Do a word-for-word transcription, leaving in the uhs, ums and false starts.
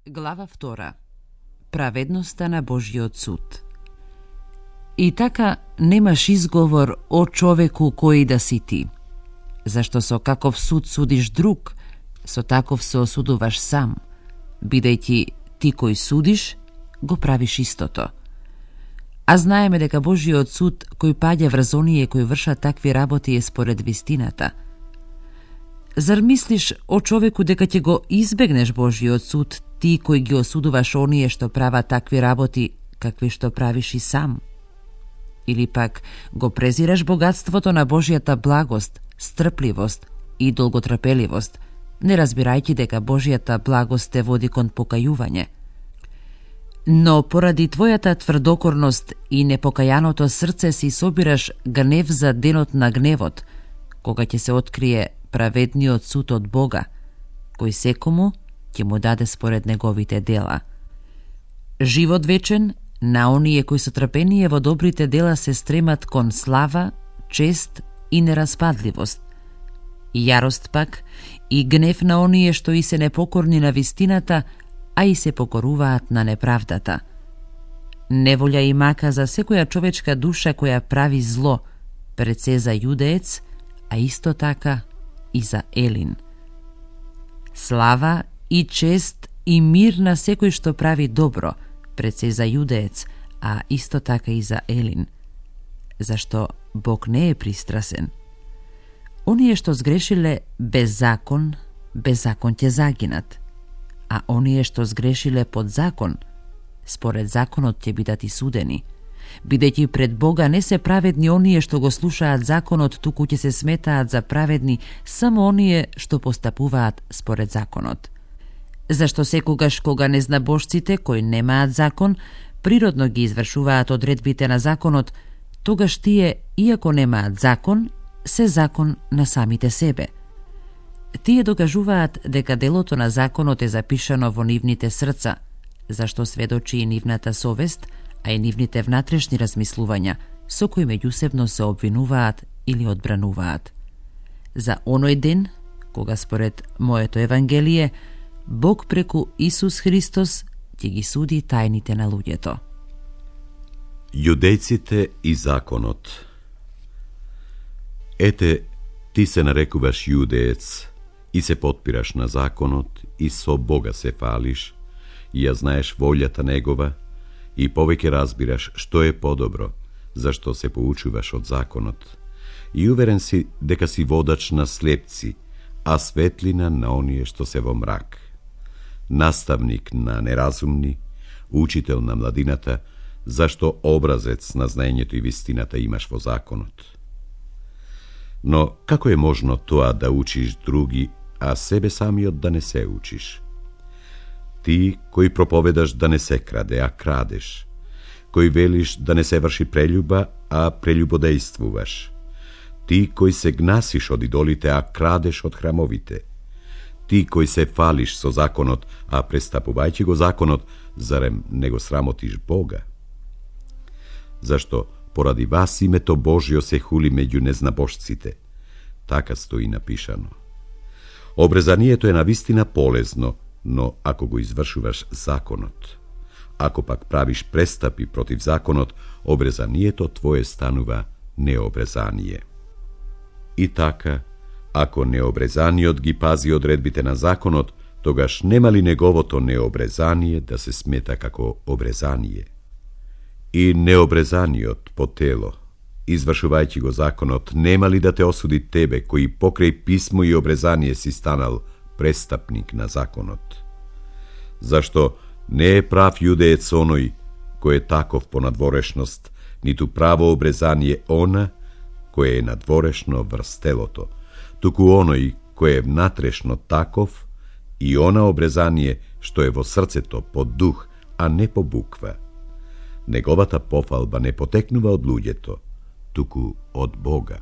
Глава втора. Праведноста на Божиот суд. И така немаш изговор о човеку кој да си ти, зашто со каков суд судиш друг, со таков се осудуваш сам, бидејќи ти кој судиш, го правиш истото. А знаеме дека Божиот суд кој паѓа врз оние кои вршат такви работи е според вистината. Зар мислиш о човеку дека ќе го избегнеш Божиот суд, ти кој ги осудуваш оние што прават такви работи, какви што правиш и сам? Или пак го презираш богатството на Божијата благост, стрпливост и долготрпеливост, не разбирајќи дека Божијата благост те води кон покајување? Но поради твојата тврдокорност и непокајаното срце си собираш гнев за денот на гневот, кога ќе се открие праведниот суд од Бога, кој секому ќе му даде според неговите дела. Живот вечен на оние кои со трпение во добрите дела се стремат кон слава, чест и нераспадливост. И јарост пак и гнев на оние што и се непокорни на вистината, а и се покоруваат на неправдата. Неволја и мака за секоја човечка душа која прави зло, пред се за јудеец, а исто така и за Елин. Слава и чест и мир на секој што прави добро, пред се за јудеец, а исто така и за Елин. Зашто Бог не е пристрасен. Оние што сгрешиле без закон, без закон ќе загинат, а оние што сгрешиле под закон, според законот ќе бидат и судени, бидејќи пред Бога не се праведни оние што го слушаат законот, туку ќе се сметаат за праведни само оние што постапуваат според законот. Зашто секогаш кога незнабожците кои немаат закон, природно ги извршуваат одредбите на законот, тогаш тие, иако немаат закон, се закон на самите себе. Тие докажуваат дека делото на законот е запишано во нивните срца, зашто сведочи и нивната совест, а и нивните внатрешни размислувања, со кои меѓусебно се обвинуваат или одбрануваат. За оној ден, кога според моето Евангелие, Бог преку Исус Христос ќе ги суди тајните на луѓето. Јудејците и законот. Ете, ти се нарекуваш јудеец и се потпираш на законот и со Бога се фалиш, и ја знаеш волјата Негова, и повеќе разбираш што е подобро, зашто се поучуваш од законот, и уверен си дека си водач на слепци, а светлина на оние што се во мрак. Наставник на неразумни, учител на младината, зашто образец на знаењето и вистината имаш во законот. Но како е можно тоа да учиш други, а себе самиот да не се учиш? Ти кој проповедаш да не се краде, а крадеш, кој велиш да не се врши прелюба, а прелюбодејствуваш, ти кој се гнасиш од идолите, а крадеш од храмовите, ти кој се фалиш со законот, а престапувајќи го законот, зарем не го срамотиш Бога? Зашто поради вас името Божјо се хули меѓу незнабожците. Така стои напишано. Обрезанието е навистина полезно, но ако го извршуваш законот. Ако пак правиш престапи против законот, обрезанието твое станува необрезание. И така, ако необрезаниот ги пази одредбите на законот, тогаш нема ли неговото необрезание да се смета како обрезание? И необрезаниот по тело, извршувајќи го законот, нема ли да те осуди тебе, кој покрај писмо и обрезание си станал престапник на законот? Зашто не е прав јудеец оној кој е таков по надворешност, ниту право обрезание она кој е надворешно врз телото, туку оној кој е внатрешно таков и она обрезание што е во срцето по дух, а не по буква. Неговата пофалба не потекнува од луѓето, туку од Бога.